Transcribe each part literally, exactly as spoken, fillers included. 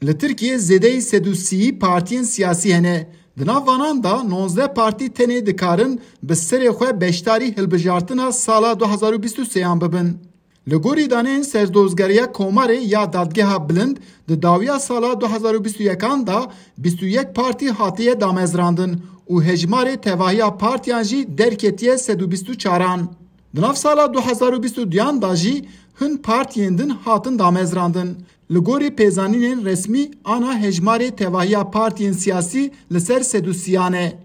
Li Tirkiyê zêdeyî sed û sî partiyên siyasî hene. Di nav vanan de nozdeh partî tenê dikarin bi serê xwe beşdarî hilbijartina sala du hazar û bîst û sêyan bibin. Li gorî daneyên Serdozgeriya Komarê ya Dadgeha Bilind, di dawiya sala du hazar û bîst û yekan de bîst û yek partî hatiye damezrandin û hejmarê tevahiya partiyan jî derketiye sed û bîst û çaran. Di nav sala du hazar û bîst û duyan de jî hin partiyên din hatin damezrandin. Li gorî pêzanînên resmî, ana hejmarê tevahiya partiyên siyasî li ser sed û sîyan e.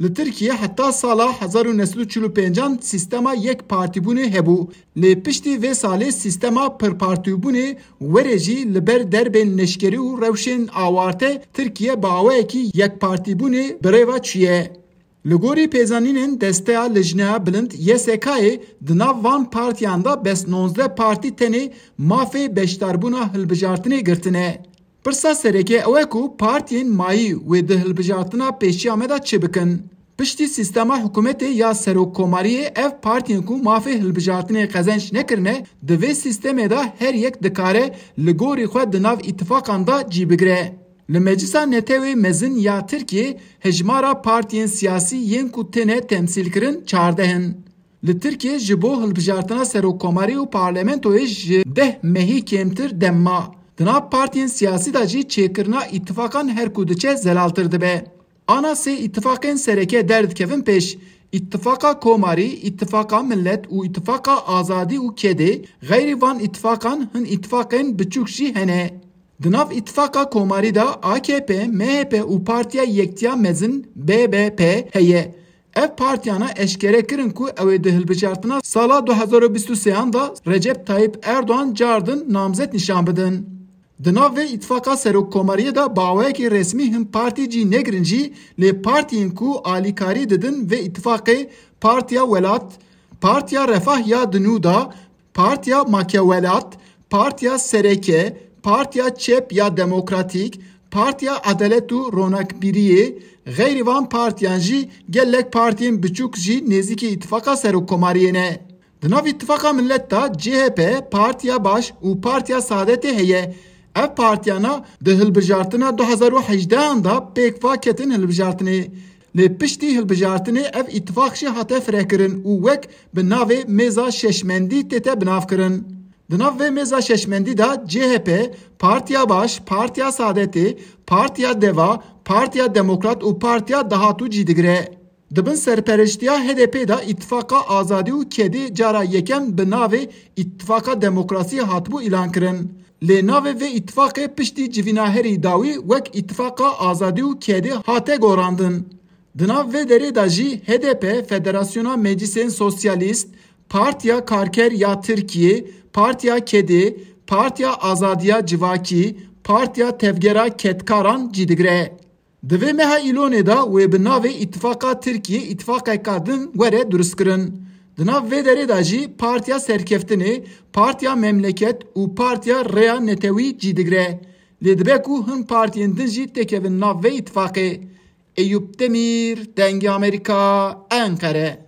Li Tirkiyê heta sala hezar û neh sed û çil û pêncan sîstema yek partîbûnê hebû. Lê piştî vê salê sîstema pirpartîbûnê were jî li ber derbên neşkerî û rewşên awarte Tirkiye bi awayekî yekpartîbûnê bi rê ve çûye. Li gorî pêzanînên Desteya Lijneya Bilind, Y S K'yê, di nav van partiyan de bes nozdeh partî tenê mafê beşdarbûna hilbijartinê girtine. Pirsa sereke ew e ku partiyên mayî wê di hilbijartina pêşiya me de çi bikin? Piştî sîstema hikûmetê ya serokkomariyê, ev partiyên ku mafê hilbijartinê qezenc nekirine, di vê sîstemê de her yek dikare li gorî xwe di nav îtifaqan de cî bigire. Li Meclisa Netewê Mezin ya Tirkiyê hejmara partiyên siyasî yên ku têne temsîlkirin çardeh in. Li Tirkiyê ji bo hilbijartina serokkomarî û parlamentoyê ji deh mehî kêmtir dem ma. Di nav partiyên siyasî de jî çêkirina îtifaqan her ku diçe zelaltir dibe. Ana sê îtifaqên sereke derdikevin pêş. Îtifaqa Komarî, Îtifaqa Millet û Îtifaqa Azadî û Kedê, xeyrî van îtifaqan hin îtifaqên biçûk jî hene. Di nav Îtifaqa Komarî de A K P, M H P û Partiya Yektiya Mezin, B B P, heye. Ev partiyana eşkere kirin ku ew ê di hilbijartina sala du hazar û bîst û sêyan de Recep Tayyip Erdogan cardin namzet nîşan bidin. Di nav vê îtifaqa serokkomariyê de bi awayekî resmî hin partî cî negirin jî, lê partiyên ku alîkarî didin vê îtifaqê, Partiya Welat, Partiya Refah ya di nû de, Partiya Make Welat, Partiya Sereke, Partiya Çep ya Demokratîk, Partiya Edalet û Ronakbîriyê, xeyrî van partiyan jî gelek partiyên biçûk jî nêzîkî îtifaqa serokkomariyê ne. Di nav Îtifaqa Millet de C H P, Partiya Baş û Partiya Saadetê heye. Ev partiyana di hilbijartina du hazar û hejdehan de pêk va ketin hilbijartinê. Lê piştî hilbijartinê ev îtifaq jî hate firekirin û wek bi navê Mêza Şeşmendî tête binavkirin. Di nav vê Mêza Şeşmendî de C H P, Partiya Baş, Partiya Saadetê, Partiya Deva, Partiya Demokrat û Partiya Dahatû cî digire. Di bin serpereştiya H D P de Îtifaqa Azadî û Kedê cara yekem bi navê Îtifaqa Demokrasiyê hatibû îlankirin. Lê navê vê îtifaqê piştî civîna herî dawî wek Îtifaqa Azadî û Kedê hate gorandin. Di nav vê derê de jî H D P, Federasyona Meclîsên Sosyalîst, Partiya Karker ya Tirkiyê, Partiya Kedê, Partiya Azadiya Civakî, Partiya Tevgera Kedkaran cî digire. Di vê meha Îlonê de wê bi navê Îtifaqa Tirkiyê îtifaqeka din were durustkirin. Di nav vê derê de jî Partiya Serkeftinê, Partiya Memleket û Partiya Rêya Netewî cî digire. Lê dibe ku hin partiyên din jî têkevin nav vê îtifaqê. Eyûp Demîr, Dengê Amerîka, Enqere.